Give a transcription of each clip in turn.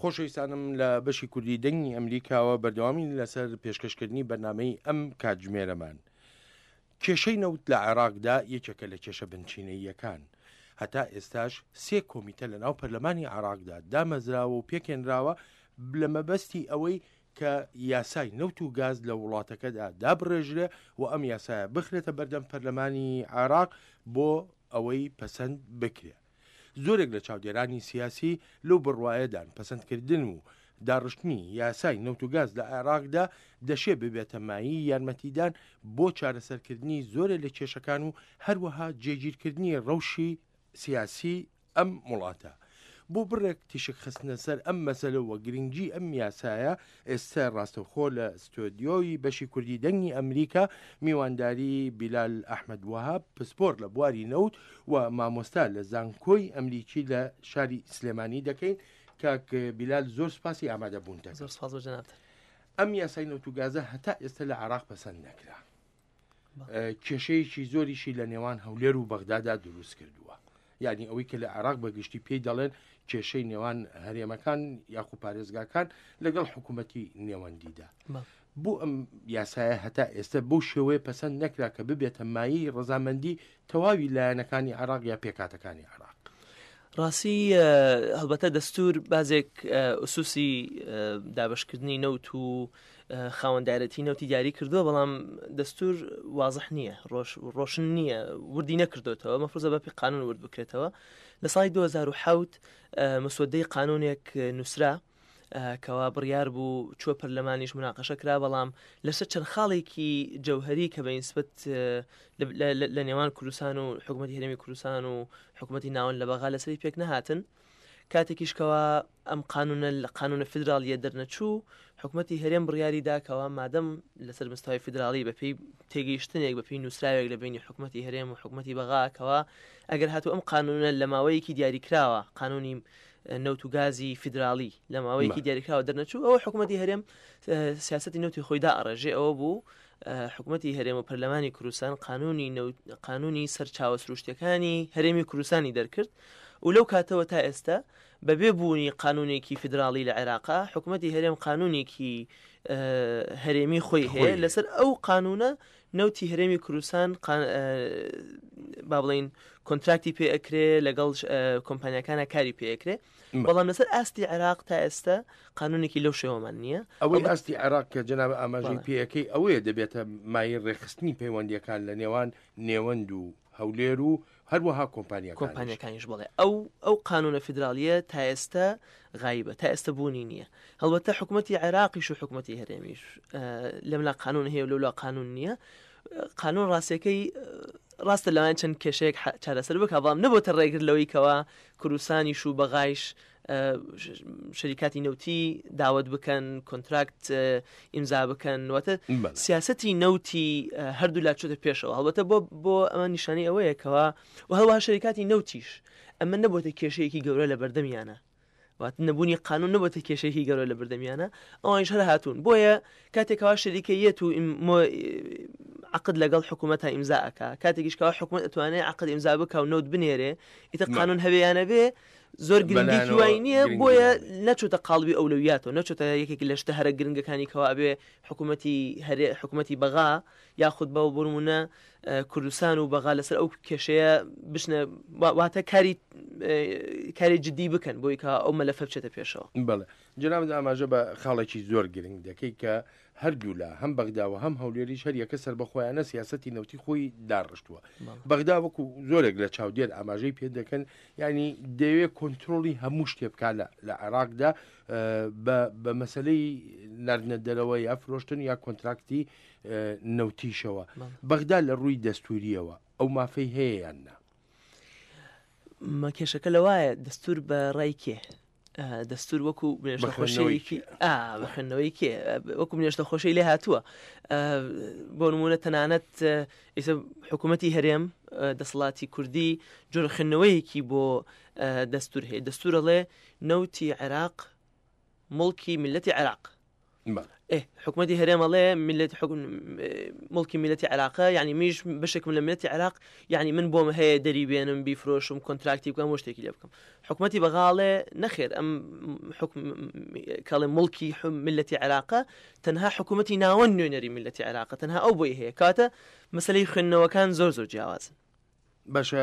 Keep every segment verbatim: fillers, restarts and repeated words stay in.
خۆشەویستانم لە بەشی کوردی دەنگی ئەمریکاوە بەردەوامین لەسەر پێشکەشکردنی بەرنامەی ئەم کاتژمێرەمان. کێشەی نەوت لە عێراقدا یەکێکە لە کێشە بنچینەییەکان. هەتا ئێستاش سێ کۆمیتە لە ناو پەرلەمانی عێراقدا دامەزراوە و پێکێنراوە لە مەبەستی ئەوەی کە یاسای نەوت و گاز لە وڵاتەکەدا دابڕێژرێ و ئەم یاسایە بخرێتە بەردەم پەرلەمانی عێراق بۆ ئەوەی پەسەند بکرێ. زۆرێک لە چاودێرانی سیاسی لەو بڕوایەدان پەسەندکردن و داڕشتنی یاسای نەوت و گاز لە عێراقدا دەشێ ببێتە مایەی یارمەتیدان بۆ چارەسەرکردنی زۆرێ لە کێشەکان و هەروەها جێگیرکردنی ڕەوشی سیاسی ئەم وڵاتە. بۆ بڕێک تیشک خستنە سەر ئەم مەسەلە و گرنگی ئەم یاسایە، ئێستا ڕاستەوخۆ لە ستۆدیۆی بەشی کوردی دەنگی ئەمریکا میوانداری بیلال ئەحمەد وەهاب، پسپۆر لە بواری نەوت و مامۆستا لە زانکۆی ئەمریکی لە شاری سلێمانی دەکەین. کاک بیلال، زۆر سپاسی ئامادە بوون دەکەم. زۆر سپاس بۆ جەنابتان. ئەم یاسای نەوت و گازە هەتا ئێستا لە عێراق پەسەند نەکرا، کێشەیەکی زۆریشی لە نێوان هەولێر و بەغدادا دروست کردووە. یعنی ئەوەی کە لە عێراق بەگشتی پێی دەڵێن کێشەی نێوان هەرێمەکان یاخو پارێزگاکان لەگەڵ حکوومەتی نێوەندیدا. بۆ ئەم یاسایە هەتا ئێستا بەو شێوەیە پەسەند نەکرا کە ببێتە مایەی ڕەزامەندی تەواوی لایەنەکانی عێراق یا پێکاتەکانی عێراق. ڕاستی هەڵبەتە دەستور بازێک ئوسوسی دابشکردنی نەوت و خاوەندارەتی نەوتی دیاری کردووە، بەڵام دەستور وازح نییە، ڕۆشن نییە، وردی نەکردوتەوە، مەفروزە بەپێی قانون ورد بکرێتەوە. لە ساڵی دوو هەزار و حەوت مسودەی قانونێک نووسرا کەوا بڕیار بوو چووە پەرلەمانیش مناقەشە کرا، بەڵام لەسەر چەند خاڵێکی جەوهری کە بە نسبەت لە نێوان کوردستان و حکوومەتی هەرێمی کوردستان و حکوومەتی ناوەند لە بەغا لەسەری پێک نەهاتن. کاتێکیش کەوا ئەم قانونە لە قانونە فیدراڵیە دەرنەچوو، حکوومەتی هەرێم بڕیاری دا کەوا مادەم لەسەر مستەوای فیدراڵی بەپێی تێگەیشتنێک بەپێی نووسراوێک لە بینی حکوومەتی هەرێم و حکوومەتی بەغا کەوا ئەگەر هاتوو ئەم قانونە لە ماوەیەکی دیاریکراوە، قانونی نەوت و گازی فیدراڵی لە ماوەیەکی دیاریکراوە دەرنەچوو، ئەوە حکوومەتی هەرێم سیاسەتی نەوتی خۆیدا ئەڕێژێ. ئەوە بوو حکوومەتی هەرێم و پەرلەمانی کوردستان قانونی قانونی سەرچاوە سروشتیەکانی هەرێمی کوردستانی دەرکرد و لەو کاتەوە تا ئێستا بەبێ بوونی قانونێکی فیدراڵی لە عێراقا، حکوومەتی هەرێم قانونێکی هەرێمی خۆی هەیە. لەسەر ئەو قانونە نەوتی هەرێمی کوردستان با بڵین کۆنتراکتی پێ ئەکرێ، لەگەڵ کۆمپانیەکانە کاری پێ ئەکرێ، بەڵام لەسەر ئاستی عێراق تا ئێستا قانونێکی لەو شێوەمان نییە. ئەوەی ئاستی عێراق کە جەناب ئاماژەی پێەکەی ئەوەیە دەبێتە مایەی ڕێکخستنی پەیوەندیەکان لە نێوان نێوەند و هەولێر و هەروەها کۆمپانیەکانیش. بڵێ ئەو ئەو قانونە فیدراڵیە تا ئێستا غایبە، تا ئێستا بوونی نییە. هەڵبەتە حکوومەتی عێراقیش و حکوومەتی هەرێمیش لەملا قانون هەیە و لەولا قانون نییە. قانون ڕاستیەکەی ڕاستە لەوان چەند کێشەیەک چارەسەر بکە، بەڵام نەبۆتە ڕێگر لەوەی کەوا کوردستانیش و بەغایش شەریکاتی نەوتی داوت بکەن، کۆنتراکت ئیمزا بکەن، واتە سیاسەتی نەوتی هەردوو لا چۆتە پێشەوە. هەڵبەتە بۆ بۆ ئەمە نیشانەی ئەوەیە کەوا و هەروەها شەریکاتی نەوتیش ئەمە نەبۆتە کێشەیەکی گەورە لە بەردەمیانە، واتە نەبوونی قانون نەبۆتە کێشەیەکی گەورە لە بەردەمیانە، ئەوانیش هەر هاتوون. بۆیە کاتێکەوە شەریکەیەت و عقد لەگەڵ حکوومەتە ئیمزا ئەکا، کاتێکیش کەوا حکوومەت ئەتوانێت عقد ئیمزا بکا و نەوت بنێرێ، ئیتر قانون هەبێیانە بێ زۆر گرنگێکی وای نییە. بۆیە نەچۆتە قاڵبی ئەولەویاتەوە، نەچۆتە یەکێک لە شتە هەرە گرنگەکانی کەوا ئەبێ حکوومەتی هەرێ حکوومەتی بەغا یاخود بەو بۆ نمونە کوردستان و بەغا لەسەر ئەو کێشەیە بچنە، واتە کاری کاری جدی بکەن بۆی کە ئەو مەلەفە بچێتە پێشەوە. بەڵێ جەنابت ئاماژە بە خاڵێکی زۆر گرنگ دەکەی کە هەردوولا هەم بەغدا و هەم هەولێریش هەریەکە سەربەخۆیانە سیاسەتی نەوتی خۆی داڕشتووە. بەغدا وەکو زۆرێک لە چاودێر ئاماژەی پێ دەکەن، یعنی دەیەوێت کۆنترۆڵی هەموو شتێ بکات لە عێراقدا بە مەسلەی ناردنە دەرەوە یا فرۆشتن یا کۆنتراکتی نەوتیشەوە. بەغدا لە ڕووی دەستوریەوە ئەو مافەی هەیە یان نا؟ مە کێشەکە لەوایە دەستور بە ڕای کێ؟ دەستور وەکو بنێشتە خۆشەیەکی بە خوێندنەوەی کێ وەکو بنێشتە خۆشەی لێ هاتووە. بۆ نمونە تەنانەت ئێستا حکوومەتی هەرێم دەسەڵاتی کوردی جۆرە خوێندنەوەیەکی بۆ دەستور هەیە. دەستور ئەڵێ نەوتی عێراق مڵکی میللەتی عێراق. ئێ حکوومەتی هەرێم ئەڵێ میللەتی حکوم مڵکی میللەتی عێراقە، یعنی میش بەشێکم لە میللەتی عێراق، یعنی من بۆم هەیە دەری بێنم بیفرۆشم contract ی بکەم و شتێکی لێ بکەم. حکوومەتی بەغا ئەڵێ نەخێر ئەم حکم کەڵێ مڵکی میللەتی عێراقە تەنها حکوومەتی ناوەند نوێنەری میللەتی عێراقە، تەنها ئەو بۆی هەیە. کاتە مەسلەی خوێندنەوەکان زۆر زۆر جیاوازن. باشە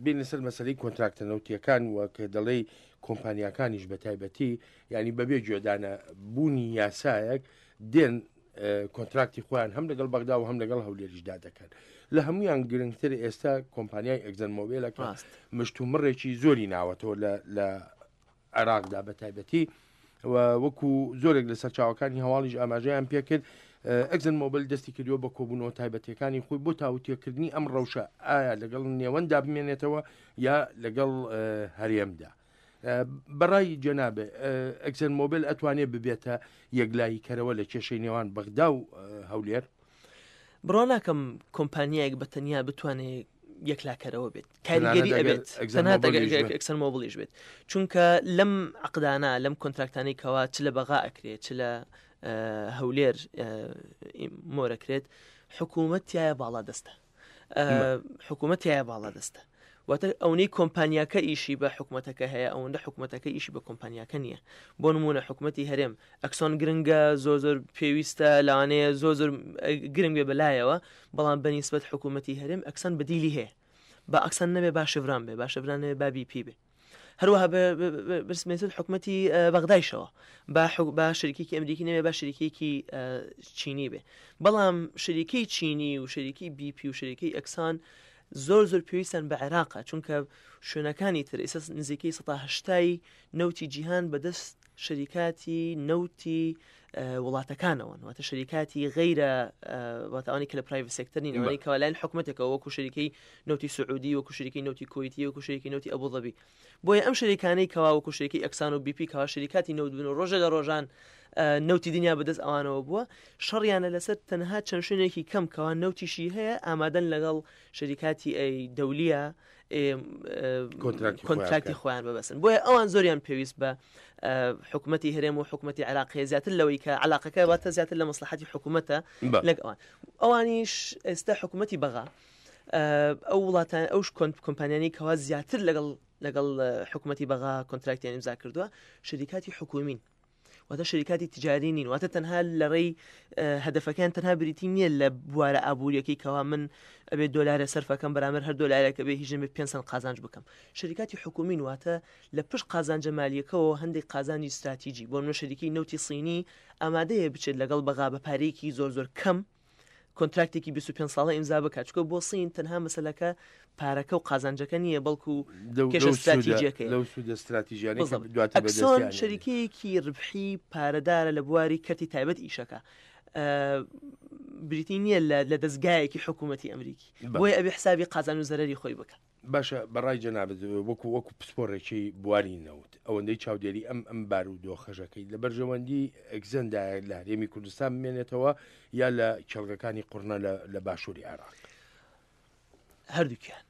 بین لەسەر مەسلەی contract ە نەوتیەکان وە کە دەڵێی کۆمپانیاکانیش بە تایبەتی یعنی بەبێ گوێدانە بوونی یاسایەک دێن contract ی خۆیان هەم لەگەڵ بەغدا و هەم لەگەڵ هەولێریشدا دەکەن. لە هەمویان گرنگتر ئێستا کۆمپانیای ئەکسۆن مۆبیلە کە مشتومڕێکی زۆری ناوەتەوە لە عێراقدا بە تایبەتی و وەکو زۆرێک لە سەرچاوەکانی هەواڵیش ئاماژەیان پێکرد ئەکسۆن مۆبیل دەستی کردووە بە کۆبوونەوە تایبەتیەکانی خۆی بۆ تاوتێکردنی ئەم ڕەوشە ئایا لەگەڵ نێوەندا بمێنێتەوە یا لەگەڵ هەرێمدا. بەڕای جەنابێ ئەکسۆن مۆبیل ئەتوانێت ببێتە یەکلایی کەرەوە لە کێشەی نێوان بەغدا و هەولێر؟ بڕۆ ناکەم کۆمپانیایەک بە تەنیا بتوانێت یەکلاکەرەوە بێت، کاریگەری ئەبێت تەنها ئەکسۆن مۆبیلیش بێت، چونکە لەم عقدانە لەم contract انەی کەوا چ لە بەغا ئەکرێت چ لە هەولێر مۆرەکرێت حکوومەت تایە باڵا دەستە، حکوومەت تایە باڵا دەستە. واتە ئەوەی کۆمپانیاکە ئیشی بە حکوومەتەکە هەیە ئەوەندە حکوومەتەکە ئیشی بە کۆمپانیاکە نییە. بۆ نمونە حکوومەتی هەرێم ئەکسۆن گرنگە، زۆر زۆر پێویستە، لەوانەیە زۆر زۆر گرنگ بێ بەلایەوە، بەڵام بەنیسبەت حکوومەتی هەرێم ئەکسۆن بەدیلی هەیە. با ئەکسۆن نەبێ با شڤران بێ، با شڤران نەبێ با بی پی بێ. هەروەها بەرسمێتت حکوومەتی بەغدایشەوە با با شەریکێکی ئەمریکی نەبێ با شەریکێکی چینی بێ. بەڵام شەریکەی چینی و شەریکی بی پی و شەریکەی ئەکسان زۆر زۆر پێویستان بە عێراقە، چونکە شوێنەکانی تر ئێستا نزیکەی سەدا هەشتای نەوتی جیهان بەدەست شەریکاتی نەوتی وڵاتەکانەوەن، واتە شەریکاتی غەیرە واتە ئەوانەی کە لە private sector نین، ئەوانەی کە لایەن حکومەتێکەوە وەکو شەریکەی نەوتی سعودی، وەکو شەریکەی نەوتی کوەیتی، وەکو شەریکەی نەوتی ئەبوظەبی. بۆیە ئەم شەریکانەی کەوا وەکو شەریکەی ئەکسان و بی پی کەوا شەریکاتی نەوت بن و ڕۆژە لە ڕۆژان نەوتی دنیا بەدەست ئەوانەوە بووە، شەڕیانە لەسەر تەنها چەند شوێنێکی کەم کەوا نەوتیشی هەیە ئامادەن لەگەڵ شەریکاتی ئەی دەولیە contract ی خۆیان ببەسن. بۆیە ئەوان زۆریان پێویست بە حکوومەتی هەرێم و حکوومەتی عێراقی زیاتر لەوەی کە علاقەکە واتە زیاتر لە مەسلحەتی حکوومەتە لەگەڵ ئەوان. ئەوانیش ئێستا حکوومەتی بەغا ئەو وڵاتان ئەو کۆمپانیانی کەوا زیاتر لەگەڵ لەگەڵ حکوومەتی بەغا contract یان ئیمزا کردووە شەریکاتی حکوومین، واتە شەریکاتی تجاری نین، واتە تەنها لە ڕێی هەدەفەکان تەنها بریتی نییە لە بوارە ئابووریەکەی کەوا من ئەبێ دۆلارە سەرفەکەم بەرامبەر هەر دۆلارێکە بێ هیچ نەبێ پێنج سەنت قازانج بکەم. شەریکاتی حکوومین واتە لە پشت قازانجە مالیەکەوە هەندێک قازانجی استراتیجی، بۆ نمونە شەریکی نەوتی سینی ئامادەیە بچێت لەگەڵ بەغا بە پارەیەکی زۆر زۆر کەم contract ێکی بیست و پێنج ساڵە ئیمزا بکات، چونکە بۆ سین تەنها مەسەلەکە پارەکە و قازانجەکە نییە بەڵکو کێشە استراتیجیەکەیە. لەو سوودە استراتیژیانەی کە دواتر ئەکسۆن بەدەستیان شەریکەیەکی ڕبحی پارەدارە لە بواری کەرتی تایبەت ئیشەکە، بریتی نییە لە دەستگایەکی حکوومەتی ئەمریکی، بۆیە ئەبێ حسابی قازان و زەرەری خۆی بکە. باشە بەڕای جەنابت وەکو وەکو پسپۆڕێکی بواری نەوت ئەوەندەی چاودێری ئەم ئەم بار و دۆخەژەکەی لە بەرژەوەندی ئەکسەندایە لە هەرێمی کوردستان بمێنێتەوە یا لە کێڵگەکانی قورنە لە باشووری عێراق؟ هەردووکیان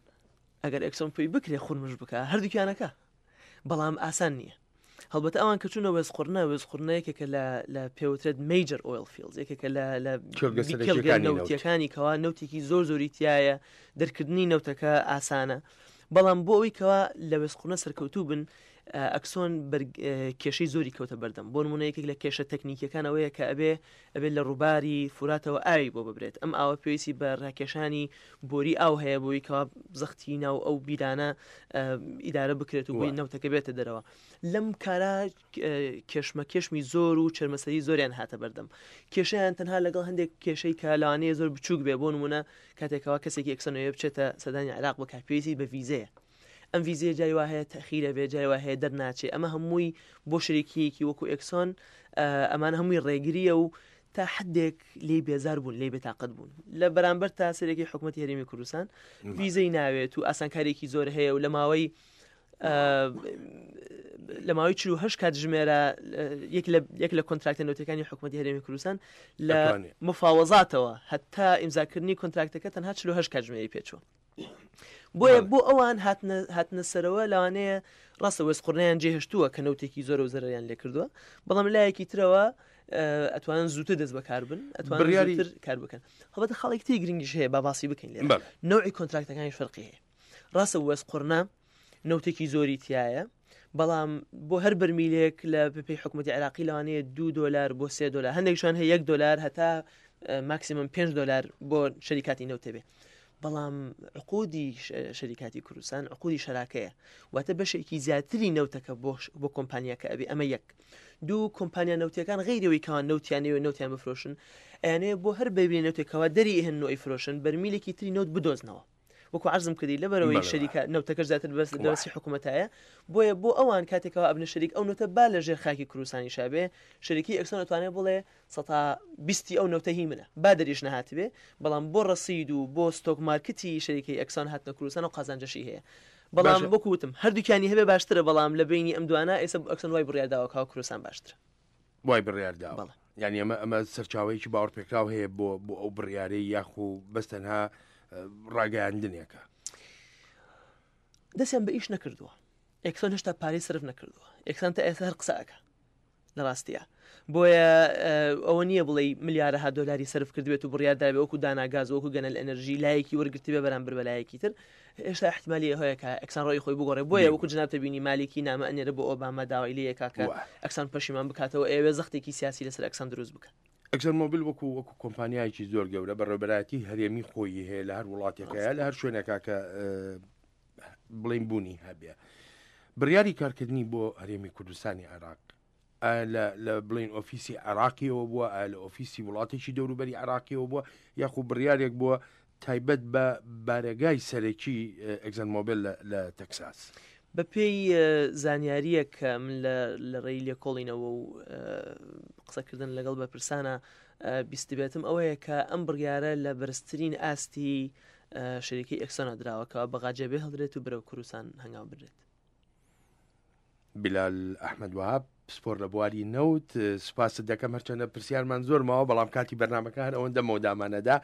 ئەگەر ئەکسۆن پێی بکرێ خورمش بکە هەردووکیانەکە، بەڵام ئاسان نییە. هەڵبەتە ئەوان کە چوونە وێزقورنە، وێزقورنە یەکێکە لە پێوترێت major oil fields، یەکێکە لە کێڵگە نەوتیەکانی کەوا نەوتێکی زۆر زۆری تایە، دەرکردنی نەوتەکە ئاسانە. بەڵام بۆ ئەوەی کەوا لە وێزقورنە سەرکەوتوو بن ئەکسۆن کێشەی زۆری کەوتە بەردەم. بۆ نمونە یەکێک لە کێشە تەکنیکیەکان ئەوەیە کە ئەبێ ئەبێت لە ڕووباری فوراتەوە ئاوی بۆ ببرێت. ئەم ئاوە پێویستی بە ڕاکێشانی بۆری ئاو هەیە بۆی کەوا زەختی ناو ئەو بیرانە ئیدارە بکرێت و بۆی نەوتەکە بێتە دەرەوە. لەم کارە کێشمە کێشمی زۆر و چەرمەسەری زۆریان هاتە بەردەم. کێشەیان تەنها لەگەڵ هەندێک کێشەی کە لەوانەیە زۆر بچووک بێ. بۆ نمونە کاتێکەوە کەسێکی ئەکسۆنەوە بچێتە سەدانی عێراق بکات پێویستی بە ڤیزەیە. ئەم ڤیزەیە جاری وا هەیە تەخیرە بێ، جاری وا هەیە دەرناچێ. ئەمە هەمووی بۆ شەریکیەکی وەکو ئەکسۆن ئەمانە هەمووی ڕێگریە و تا حدێک لێی بێزار بوون، لێی بێتاقەت بوون. لە بەرامبەر تا سەرێکی حکوومەتی هەرێمی کوردستان ڤیزەی ناوێت و ئاسانکاریێکی زۆر هەیە و لە ماوەی لە ماوەی چل و هەشت کاتژمێرە یەک لە contract ە نەوتەکانی حکوومەتی هەرێمی کوردستان لە مفاوەزاتەوە هەتا ئیمزاکردنی contract ەکە تەنها چل و هەشت کاتژمێری پێچووە. بۆیە بۆ ئەوان هاتنە سەرەوە لەوانەیە ڕاستە وێستقوڕنەیان جێهێشتووە کە نەوتێکی زۆر و زەرەریان لێکردووە، بەڵام لایەکی ترەوە ئەتوانن زووتر دەست بەکار بن، ئەتوانن زووتر کار بکەن. هەڵبەتە خاڵێکی تری گرنگیش هەیە با باسی بکەین لێرە، نەوعی کۆنتراکتەکانیش فەرقی هەیە. ڕاستە وێستقوڕنە نەوتێکی زۆری تایە، بەڵام بۆ هەر بەرمیلێک لە پێی حکوومەتی عێراقی لەوانەیە دوو دۆلار بۆ سێ دۆلار، هەندێک شوێن هەیە یەک دۆلار هەتا ماکسیمم پێنج دۆلار بۆ شەریکاتی نەوتێ بێ. بەڵام عقودی شەریکاتی کوردستان عقودی شەراکەیە، واتە بەشێکی زیاتری نەوتەکە بۆ کۆمپانیاکە ئەبێ. ئەمە یەک. دوو، کۆمپانیا نەوتیەکان غەیرەوەی کەوان نەوتیانەوە نەوتیان بفرۆشن، ئەیانەیە بۆ هەر بەرمیلێ نەوتێکەوە دەری ئەهێنن و ئەیفرۆشن، بەرمیلێکی تری نەوت بدۆزنەوە. وەکو عەرزم کردی لەبەرەوەی شەریکە نەوتەکەش زیاتر بەس دەستی حکوومەتایە، بۆیە بۆ ئەوان کاتێکەوە ئەبنە شەریک ئەو نەوتە با لە ژێر خاکی کوردستانی شابێ، شەریکی ئەکسۆن ئەتوانێت بڵێ سەتا بیستی ئەو نەوتە هی منە، با دەریش نەهاتبێ، بەڵام بۆ ڕەسید و بۆ stock market ی شەریکەی ئەکسۆن هاتنە کوردستان و قازانجەشی هەیە. بەڵام وەکو وتم هەردووکیانی هەبێ باشترە، بەڵام لە بینی ئەم دوانە ئێستا ئەکسۆن وای بڕیار داوە کاوە کوردستان باشترە. وای بڕیار داوە. یعنی ئەمە ئەمە سەرچاوەیەکی باوەڕپێکراو هەیە بۆ بۆ ئەو بڕیارەی یاخو بەس تەنها ڕاگەیاندنێکە. دەستیان بە ئیش نەکردووە، ئێکسۆن هێشتا پارەی سەرف نەکردووە، ئێکسۆن تا ئێستا هەر قسە ئەکا لە ڕاستیە. بۆیە ئەوە نییە بڵێ ملیارەها دۆلاری سەرف کردبێت و بڕیار دابێ وەکو داناگاز وەکو گەنەل ئەنەرژی لایەکی وەرگرتبێ بەرامبەر بە لایەکی تر. هێشتا احتیمالی هەیە کە ئەکسان ڕۆی خۆی بگۆڕێ. بۆیە وەکو جنابتە بینی مالیکی نامە ئەنێرە بۆ ئۆباما داوای لێ یەکا کە ئەکسان پەشیمان بکاتەوە، ئەوێ زەختێکی سیاسی لەسەر ئەکسان دروست بکە. ئەکسۆن مۆبیل وەکو وەکو کۆمپانیایەکی زۆر گەورە بەڕێوەبەرایەتی هەرێمی خۆی هەیە لە هەر وڵاتێکەیە لە هەر شوێنێکا کە بڵێن بوونی هەبێ. بڕیاری کارکردنی بۆ هەرێمی کوردستانی عێراق لە بڵین ئۆفیسی عێراقیەوە بووە، ئایا لە ئۆفیسی وڵاتێکی دەوروبەری عێراقیەوە بووە، یاخو بڕیارێک بووە تایبەت بە بارەگای سەرەکی ئەکسۆن مۆبیل لە تەکساس؟ بە پێی زانیاریەک کە من لە ڕێی لێکۆڵینەوە و قسەکردن لەگەڵ بەرپرسانە بیستبێتم ئەوەیە کە ئەم بڕیارە لە بەرزترین ئاستی شەریکەی ئەکسۆنە دراوە کە بەغاجێ بێ هەڵدرێت و بەرەو کوردستان هەنگاو بدرێت. بلال ئەحمەد وەهاب پسپۆر لە بواری نەوت، سوپاست دەکەم. هەرچەندە پرسیارمان زۆر ماوە، بەڵام کاتی بەرنامەکە هەر ئەوەندە مەودامانەدا.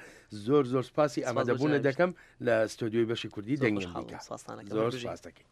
زۆر زۆر سوپاسی ئامادەبوونە دەکەم لە ستۆدیۆی بەشی کوردی دەنگی ئەمریکا. زۆر سوپاس دەکەین.